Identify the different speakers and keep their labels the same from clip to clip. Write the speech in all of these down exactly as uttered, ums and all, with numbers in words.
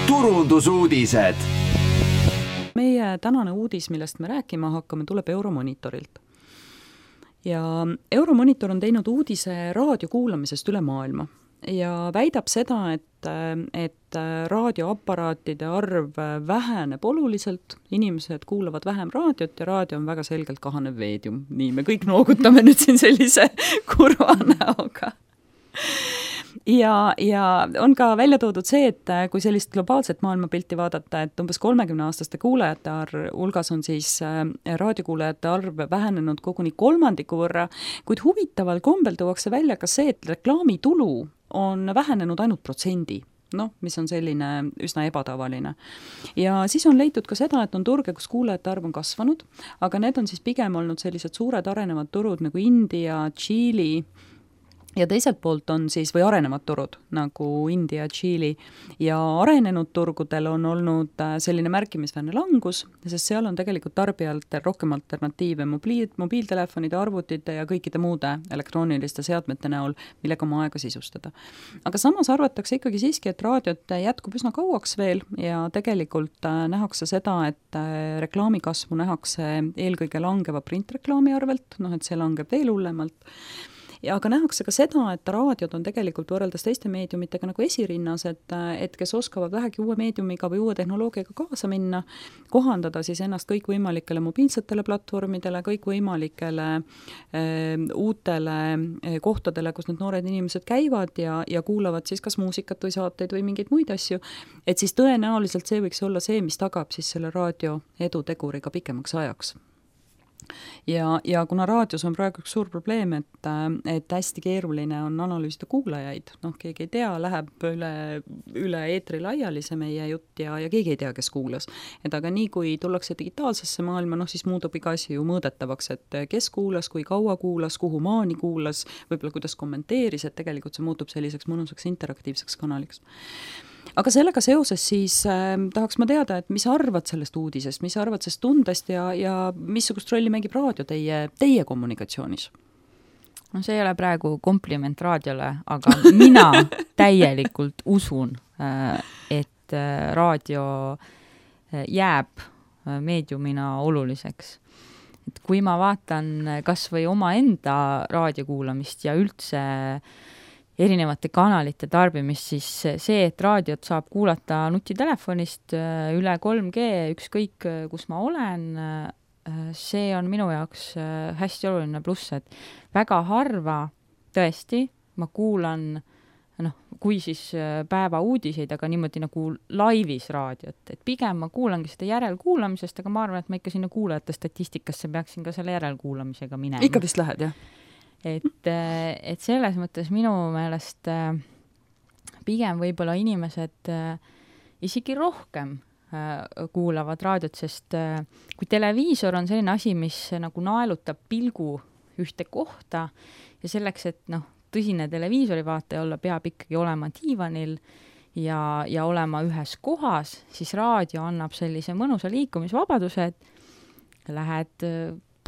Speaker 1: turundusuudised.
Speaker 2: Meie tänane uudis, millest me rääkima hakkame, tuleb Euromonitorilt. Ja Euromonitor on teinud uudise raadio kuulamisest üle maailma ja väidab seda, et, et raadioaparaatide arv väheneb oluliselt, inimesed kuulavad vähem raadiot ja raadio on väga selgelt kahanev meedium. Nii, me kõik noogutame nüüd siin sellise kurva näoga. Ja, ja on ka välja toodud see, et kui sellist globaalset maailmapilti vaadata, et umbes kolmekümne aastaste kuulajate arv, hulgas on siis raadiokuulajate arv vähenenud koguni kolmandiku võrra, kuid huvitaval kombel tuuakse välja ka see, et reklaamitulu on vähenenud ainult protsendi, noh, mis on selline üsna ebatavaline. Ja siis on leitud ka seda, et on turge, kus kuulajate arv on kasvanud, aga need on siis pigem olnud sellised suured arenevad turud nagu India, Tšiili, ja teiselt poolt on siis, või arenevad turud, nagu India, Tšiili, ja arenenud turgudel on olnud selline märkimisväärne langus, sest seal on tegelikult tarbijalt rohkem alternatiive mobiil, mobiiltelefonide, arvutite ja kõikide muude elektrooniliste seadmete näol, millega oma aega sisustada. Aga samas arvatakse ikkagi siiski, et raadiot jätkub üsna kauaks veel ja tegelikult nähakse seda, et reklaamikasvu nähakse eelkõige langeva printreklaami arvelt, noh, et see langeb veel hullemalt. Ja aga nähakse ka seda, et raadiod on tegelikult võrreldes teiste meediumitega nagu esirinnas, et, et kes oskavad vähegi uue meediumiga või uue tehnoloogiaga kaasa minna, kohandada siis ennast kõikvõimalikele mobiilsetele platvormidele, kõikvõimalikele e, uutele kohtadele, kus need noored inimesed käivad ja, ja kuulavad siis kas muusikat või saateid või mingeid muid asju, et siis tõenäoliselt see võiks olla see, mis tagab siis selle raadio eduteguriga pikemaks ajaks. Ja, ja kuna raadios on praegu üks suur probleem, et, et hästi keeruline on analüüsida kuulajaid, noh, keegi ei tea, läheb üle, üle eetri laiali see meie jutt ja, ja keegi ei tea, kes kuulas. Et aga nii, kui tullakse digitaalsesse maailma, noh, siis muutub iga asi ju mõõdetavaks, et kes kuulas, kui kaua kuulas, kuhu maani kuulas, võib-olla kuidas kommenteeris, et tegelikult see muutub selliseks mõnusaks interaktiivseks kanaliks. Aga sellega seoses siis äh, tahaks ma teada, et mis arvad sellest uudisest, mis arvad sellest tundest ja, ja missugust rolli mängib raadio teie, teie kommunikatsioonis?
Speaker 3: No see ei ole praegu kompliment raadiole, aga mina täielikult usun, äh, et äh, raadio jääb äh, meediumina oluliseks. Et kui ma vaatan kas või oma enda raadiokuulamist ja üldse erinevate kanalite tarbimist, siis see, et raadiot saab kuulata nutitelefonist üle kolm G, ükskõik kus ma olen, see on minu jaoks hästi oluline pluss, et väga harva tõesti ma kuulan, noh, kui siis päeva uudiseid, aga niimoodi nagu laivis raadiot, et pigem ma kuulangi seda järelkuulamisest, aga ma arvan, et ma ikka sinna kuulajate statistikasse peaksin ka selle järelkuulamisega minema.
Speaker 2: Ikka vist lähed, jah?
Speaker 3: Et, et selles mõttes minu meelest pigem võib-olla inimesed isegi rohkem kuulavad raadiot, sest kui televiisor on selline asi, mis nagu naelutab pilgu ühte kohta ja selleks, et noh, tõsine televiisori vaataja olla, peab ikkagi olema diivanil ja, ja olema ühes kohas, siis raadio annab sellise mõnusa liikumisvabaduse, et lähed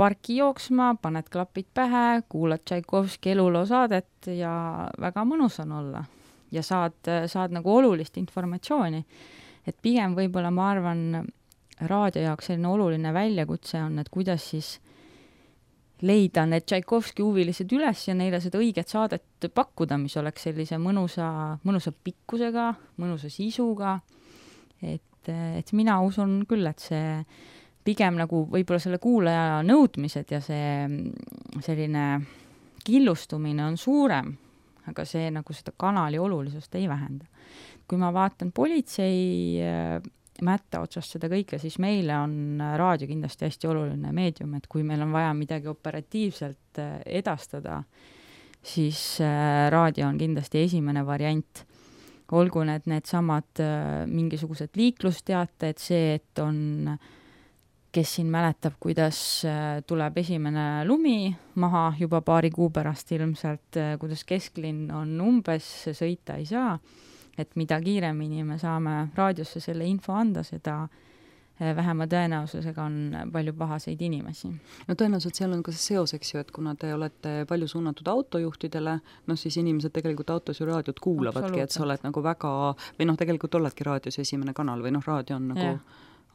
Speaker 3: parki jooksma, paned klapid pähe, kuulad Tšaikovski eluloo saadet ja väga mõnus on olla. Ja saad, saad nagu olulist informatsiooni. Et pigem võib-olla ma arvan, raadio jaoks selline oluline väljakutse on, et kuidas siis leida need Tšaikovski huvilised üles ja neile seda õiget saadet pakkuda, mis oleks sellise mõnusa, mõnusa pikkusega, mõnusa sisuga. Et, et mina usun küll, et see pigem nagu võib-olla selle kuulaja nõudmised ja see selline killustumine on suurem, aga see nagu seda kanali olulisust ei vähenda. Kui ma vaatan politsei mätta otsast seda kõike, siis meile on raadio kindlasti hästi oluline meedium, et kui meil on vaja midagi operatiivselt edastada, siis raadio on kindlasti esimene variant. Olgu need need samad mingisugused liiklusteated, see, et on kes siin mäletab, kuidas tuleb esimene lumi maha juba paari kuu pärast ilmselt, kuidas kesklinn on umbes, sõita ei saa, et mida kiiremini me saame raadiosse selle info anda, seda vähema tõenäosusega on palju pahaseid inimesi.
Speaker 2: No tõenäoliselt seal on ka see seos, eks ju, et kuna te olete palju suunatud autojuhtidele, noh siis inimesed tegelikult autos ju raadiot kuulavadki, et sa oled nagu väga, või noh, tegelikult oledki raadios esimene kanal või noh, raadio on nagu ja.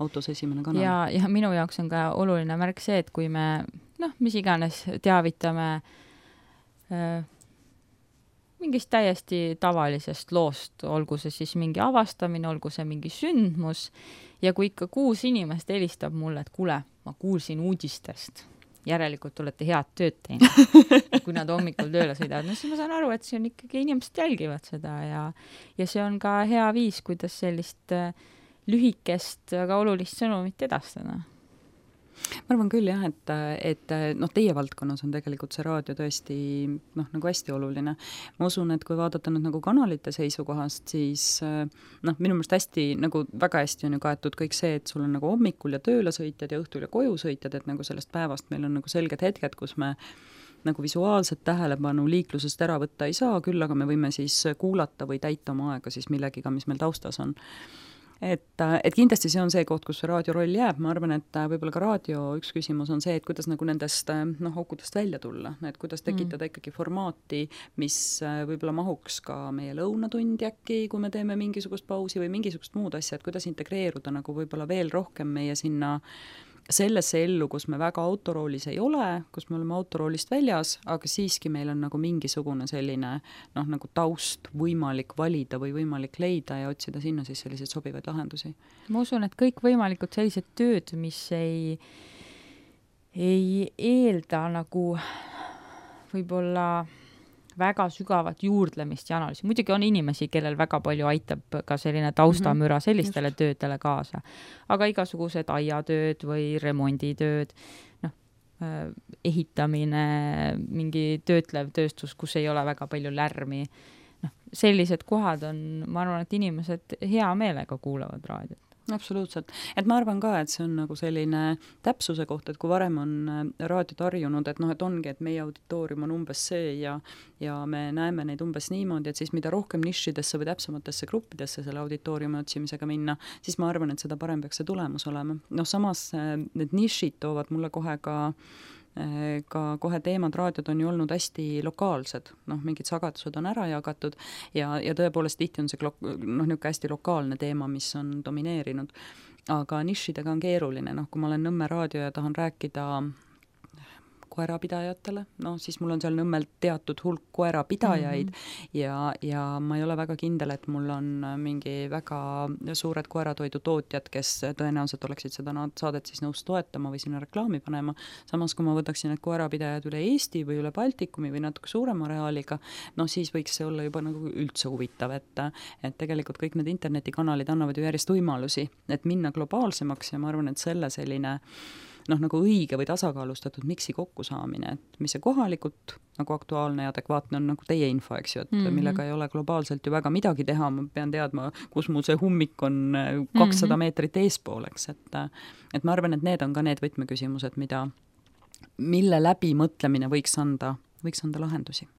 Speaker 2: autos esimene kanal.
Speaker 3: Ja, ja minu jaoks on ka oluline märk see, et kui me, noh, mis iganes teavitame äh, mingist täiesti tavalisest loost, olgu see siis mingi avastamine, olgu see mingi sündmus, ja kui ikka kuus inimest helistab mulle, et kuule, ma kuulsin uudistest, järelikult olete head tööd teinud, kui nad hommikul tööle sõidavad, no siis ma saan aru, et see on ikkagi, inimesed jälgivad seda ja, ja see on ka hea viis, kuidas sellist lühikest, aga olulist sõnumit edastada.
Speaker 2: Ma arvan küll jah, et, et noh, teie valdkonnas on tegelikult see raadio tõesti noh, nagu hästi oluline. Ma usun, et kui vaadata nüüd nagu kanalite seisukohast, siis noh, minu meelest hästi, nagu väga hästi on ju kaetud kõik see, et sul on nagu hommikul ja tööle sõitjad ja õhtul ja koju sõitjad, et nagu sellest päevast meil on nagu selged hetked, kus me nagu visuaalset tähelepanu liiklusest ära võtta ei saa, küll aga me võime siis kuulata või täita oma aega siis millegiga, mis meil taustas on. Et, et kindlasti see on see koht, kus see raadio roll jääb, ma arvan, et võib-olla ka raadio üks küsimus on see, et kuidas nagu nendest noh, aukudest välja tulla, et kuidas tekitada mm. ikkagi formaati, mis võib-olla mahuks ka meie lõunatundi äkki, kui me teeme mingisugust pausi või mingisugust muud asja, et kuidas integreeruda nagu võib-olla veel rohkem meie sinna sellesse ellu, kus me väga autoroolis ei ole, kus me oleme autoroolist väljas, aga siiski meil on nagu mingisugune selline noh, nagu taust võimalik valida või võimalik leida ja otsida sinna siis selliseid sobivaid lahendusi.
Speaker 3: Ma usun, et kõik võimalikud sellised tööd, mis ei, ei eelda nagu võib-olla väga sügavat juurdlemist ja analüüsi. Muidugi on inimesi, kellel väga palju aitab ka selline taustamüra sellistele mm-hmm. töödele kaasa. Aga igasugused aiatööd või remonditööd, noh, ehitamine, mingi töötlev tööstus, kus ei ole väga palju lärmi. Noh, sellised kohad on, ma arvan, et inimesed hea meelega kuulavad raadiot.
Speaker 2: Absoluutselt. Et ma arvan ka, et see on nagu selline täpsuse koht, et kui varem on raadiot harjunud, et noh, et ongi, et meie auditoorium on umbes see ja, ja me näeme neid umbes niimoodi, et siis mida rohkem nišidesse või täpsematesse gruppidesse selle auditooriumi otsimisega minna, siis ma arvan, et seda parem peaks see tulemus olema. Noh, samas need nišid toovad mulle kohe ka ka kohe teemad, raadiod on ju olnud hästi lokaalsed, noh, mingid sagedused on ära jagatud ja, ja tõepoolest tihti on see noh, niisugune hästi lokaalne teema, mis on domineerinud, aga nišidega on keeruline, noh, kui ma olen Nõmme raadio ja tahan rääkida koerapidajatele, no siis mul on seal Nõmmel teatud hulk koerapidajaid mm-hmm. ja, ja ma ei ole väga kindel, et mul on mingi väga suured koeratoidu tootjad, kes tõenäoliselt oleksid seda saadet siis nõus toetama või sinna reklaami panema. Samas, kui ma võtaksin need koerapidajad üle Eesti või üle Baltikumi või natuke suurema reaaliga, no siis võiks see olla juba nagu üldse huvitav, et, et tegelikult kõik need internetikanalid annavad ju järjest võimalusi, et minna globaalsemaks ja ma arvan, et selle selline noh, nagu õige või tasakaalustatud miksi kokkusaamine, et mis see kohalikult nagu aktuaalne ja adekvaatne on nagu teie info, eks ju, et mm-hmm. millega ei ole globaalselt ju väga midagi teha, ma pean teadma, kus mul see hummik on kakssada mm-hmm. meetrit eespooleks, et, et ma arvan, et need on ka need võtmeküsimused, mida, mille läbi mõtlemine võiks anda, võiks anda lahendusi.